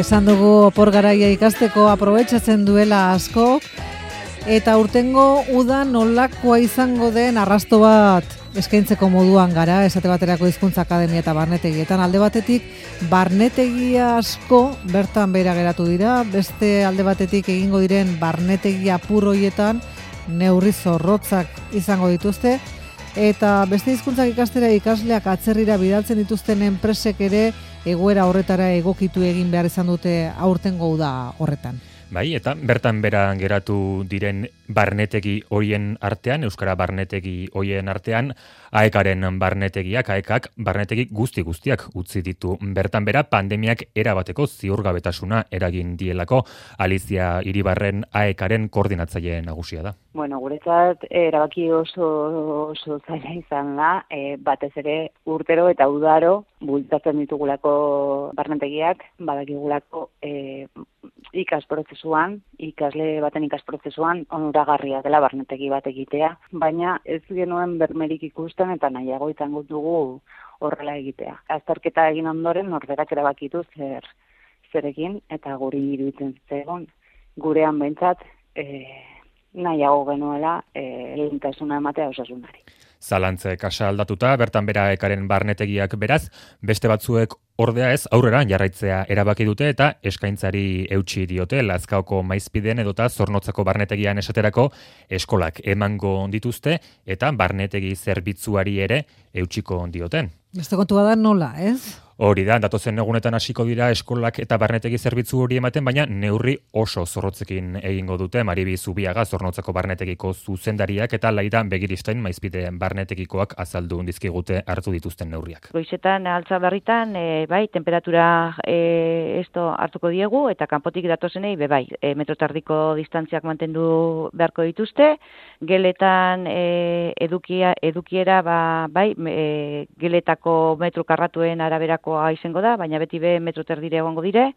Esan dugu opor garaia ikasteko aprobetxatzen duela askok, eta urtengo uda nolakoa izango den arrasto bat eskaintzeko moduan gara, esate baterako hizkuntza akademia eta barnetegietan. Alde batetik, barnetegia asko bertan behera geratu dira, beste alde batetik egingo diren barnetegia apur hoietan neurri zorrotzak izango dituzte, eta beste hizkuntzak ikastera ikasleak atzerrira bidaltzen dituzten enpresek ere egoera horretara egokitu egin behar izan dute aurtengo uda horretan. Bai, eta bertan bera geratu diren barnetegi horien artean, euskara barnetegi horien artean, AEKaren barnetegiak, AEKak barnetegi guztiak utzi ditu. Bertan bera pandemiak erabateko ziurgabetasuna eragin dielako. Alizia Iribarren AEKaren koordinatzaile nagusia da. Bueno, guretzat erabaki oso zaila izan da, batez ere urtero eta udaro bultzatzen ditugulako barnetegiak, badakigulako ikas prozesuan, ikasle baten ikas prozesuan onuragarria dela barnetegi bat egitea, baina ez genuen bermerik ikusten eta nahiago izango dugu horrela egitea. Azterketa egin ondoren norberak erabakitu zer egin eta guri iruditzen zegoen gurean behintzat nahiago genuela lehentasuna ematea osasunari. Zalantze kasa aldatuta, bertan bera ekaren barnetegiak beraz, beste batzuek ordea ez aurrera jarraitzea erabaki dute eta eskaintzari eutsi diote. Lazkaoko Maizpiden edota Zornotzako barnetegian esaterako eskolak emango dituzte eta barnetegi zerbitzuari ere eutsiko dioten. Beste kontua da nola, ez? Hori da, datozen egunetan hasiko dira eskolak eta barnetegi zerbitzu hori ematen, baina neurri oso zorrotzekin egingo dute. Maribi Zubiaga Zornotzako barnetegiko zuzendariak eta Laida Begiristain Maizpideen barnetegikoak azaldu dizkigute hartu dituzten neurriak. Goizetan altza berritan, bai, temperatura esto hartuko diegu eta kanpotik datozenei bai, metro tardiko distantziak mantendu beharko dituzte. Geletan edukiera bai, geletako metro karratuen araberako izango da, baina beti metro terdire egongo dire,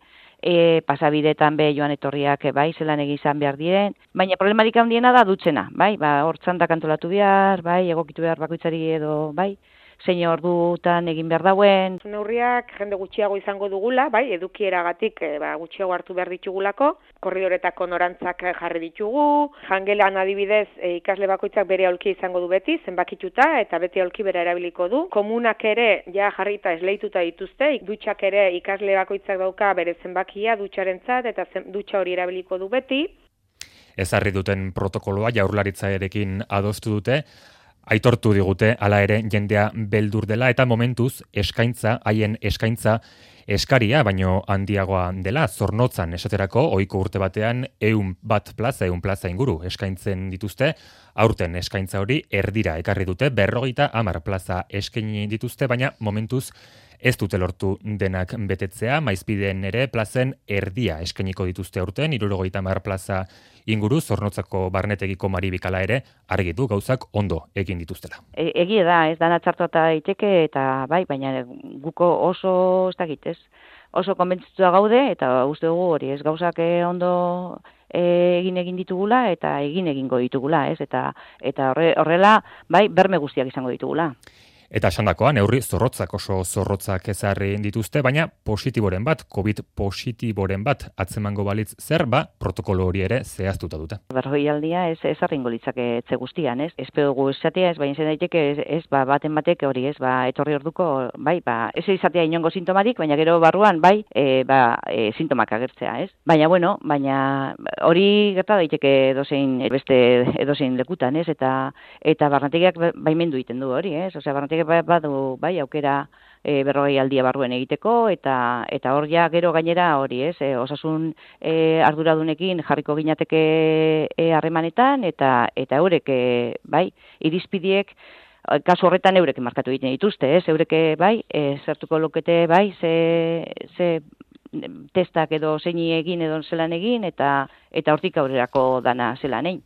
pasabidetan joan etorriak bai, zelan egizan behar diren, baina problemarik handiena da dutzena, bai, hor txandak antolatu behar, bai, egokitu behar bakoitzari edo, bai, zein ordutan egin behar dauen. Neurriak jende gutxiago izango dugula, bai, edukieragatik gutxiago hartu behar ditugulako, korridoretako norantzak jarri ditugu, jangelan adibidez ikasle bakoitzak bere aulki izango du beti, zenbakituta eta beti aulki bera erabiliko du. Komunak ere ja jarrita esleituta dituzte, dutxak ere ikasle bakoitzak dauka bere zenbakia dutxarentzat eta dutxa hori erabiliko du beti. Ezarri duten protokoloa Jaurlaritzarekin adostu dute, aitortu digute hala ere jendea beldur dela eta momentuz haien eskaintza eskaria baino handiagoa dela. Zornotzan esaterako ohiko urte batean 100 plaza inguru eskaintzen dituzte. Aurten eskaintza hori erdira ekarri dute, 50 plaza eskaini dituzte, baina momentuz ez dute lortu denak betetzea. Maizpideen ere plazen erdia eskainiko dituzte aurten, 70 plaza inguru. Zornotzako barnetegiko Maribikala ere argitu gauzak ondo egin dituztela. Egia da, ez dana txartuata daiteke eta bai, baina guko oso ez dakit, ez? Oso konbentzitua gaude eta uste dugu hori, ez gauzak ondo egin ditugula eta egingo ditugula, ez? Eta horrela, bai, berme guztiak izango ditugula. Eta esandakoa, neurri zorrotzak oso zorrotzak ezarri dituzte, baina positiboren bat, COVID positiboren bat atzemango balitz zer, protokolo hori ere zehaztuta dute. Berroialdia ez arringo litzake etxe guztian, ez? Espero dugu esatea, ez baina zen daiteke, ez baten batek hori, ez, etorri orduko, bai, ez izatea inongo sintomarik, baina gero barruan, bai, sintomak agertzea, ez? Baina, bueno, hori gerta daiteke edozein lekutan, ez? Eta barnetegiak baimendu egiten du hori, ez? Osea, barnetegiak badu bai aukera berrogeialdia barruen egiteko eta hor ja gero gainera hori, ez? Osasun arduradunekin jarriko ginateke harremanetan eta eurek bai irizpidiek kasu horretan eurek markatu egiten dituzte, ez? Eurek bai zertuko lukete bai ze testak edo zeini egin edo zelan egin eta hortik aurrerako dana zelan egin.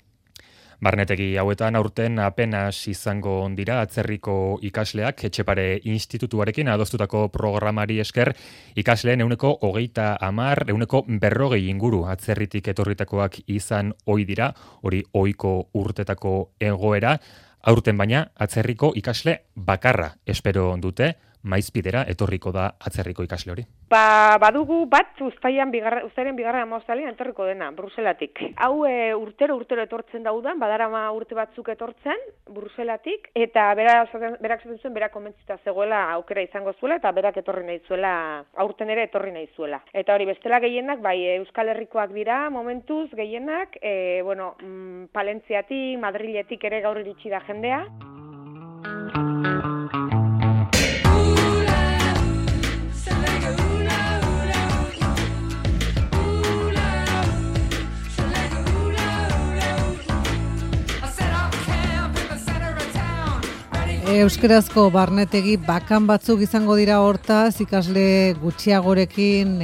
Barnetegi hauetan aurten apenas izango dira atzerriko ikasleak. Etxepare institutuarekin adostutako programari esker ikasleen 130, 140 inguru atzerritik etorritakoak izan ohi dira, hori ohiko urtetako egoera. Aurten baina atzerriko ikasle bakarra espero dute, maizpidera etorriko da atzerriko ikasle hori? Badugu bat uztailaren bigarren hamabostaldian etorriko dena, Bruselatik. Hau urtero etortzen daudan, badarama urte batzuk etortzen, Bruselatik, eta berak esaten zuen, berak komentzita zegoela aukera izango zuela, eta berak etorri nahi zuela, aurten ere etorri nahi zuela. Eta hori bestela gehienak, bai Euskal Herrikoak dira, momentuz gehienak, Palentziatik, Madriletik ere gaur iritsi da jendea. Euskarazko barnetegi bakan batzuk izango dira hortaz, ikasle gutxiagorekin,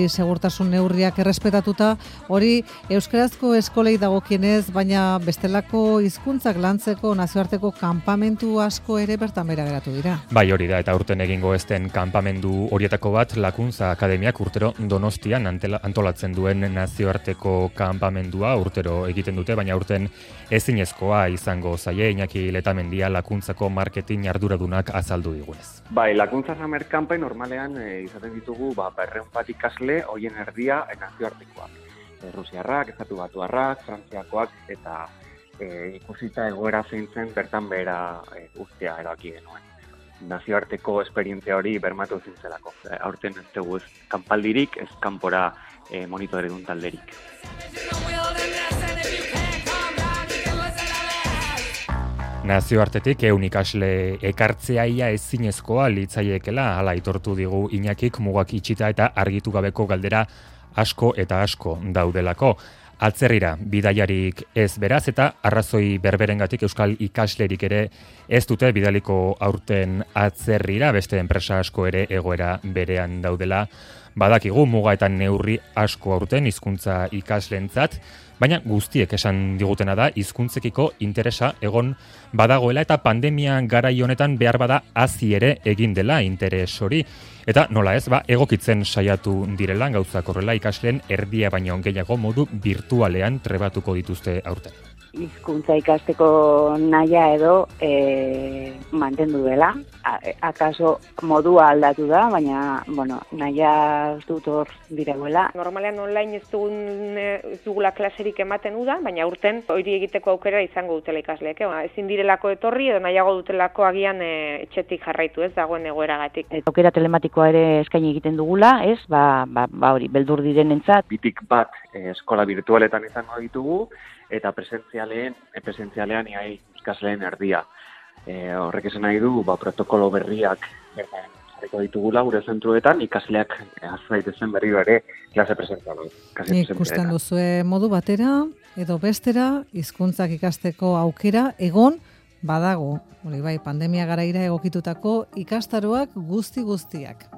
segurtasun neurriak errespetatuta, hori euskarazko eskolei dagokienez, baina bestelako hizkuntzak lantzeko nazioarteko kanpamentu asko ere bertan bera geratu dira. Bai, hori da, eta urten egingo ez den kanpamendu horietako bat, Lakuntza Akademiak urtero Donostian antolatzen duen nazioarteko kanpamendua urtero egiten dute, baina urten ezinezkoa izango zaie, Iñaki Letamendia Lakuntzako marketing arduradunak azaldu digunez. Bai, Lakuntza Summer Campaign normalean izaten ditugu 200 bat ikasle, hoien erdia nazioartekoak. Rusiarrak, Estatu Batuarrak, Frantziakoak eta ikusita egoera zein zen bertan behera ustea erabaki genuen. Nazioarteko esperientzia hori bermatu zintzelako. Aurten ez dugu ez kanpaldirik, ez kanpora monitoredun talderik. Nazioartetik 100 ikasle ekartzea ia ezinezkoa litzaiekela, hala aitortu digu Iñakik mugak itxita eta argitu gabeko galdera asko eta asko daudelako. Atzerrira bidaiarik ez beraz eta arrazoi berberengatik euskal ikaslerik ere ez dute bidaliko aurten atzerrira, beste enpresa asko ere egoera berean daudela. Badakigu muga eta neurri asko aurten hizkuntza ikaslentzat, baina guztiek esan digutena da hizkuntzekiko interesa egon badagoela eta pandemia garai honetan behar bada hazi ere egin dela interes hori. Eta nola ez, egokitzen saiatu direla gauzak horrela ikasleen erdia baino gehiago modu virtualean trebatuko dituzte aurten. Hizkuntza ikasteko nahia edo mantendu dela. Akaso modua aldatu da, baina nahia ez dut hor direguela. Normalean online ez dugula klaserik ematen udan, baina urten hori egiteko aukera izango dutela ikasleek. Ezin direlako etorri edo nahiago dutelako agian etxetik jarraitu ez dagoen egoeragatik. Aukera telematikoa ere eskaini egiten dugula, ez? Hori beldur direnentzat. Bitik bat eskola virtualetan izango ditugu, eta presentzialean ikasleen erdia. Horrek esan nahi du, protokolo berriak jarriko ditugula gure zentruetan, ikasleak azzaitezen berriro ere klase presentzialean. Ikusten duzue modu batera edo bestera hizkuntzak ikasteko aukera egon badago. Hori bai, pandemia garaira egokitutako ikastaroak guztiak.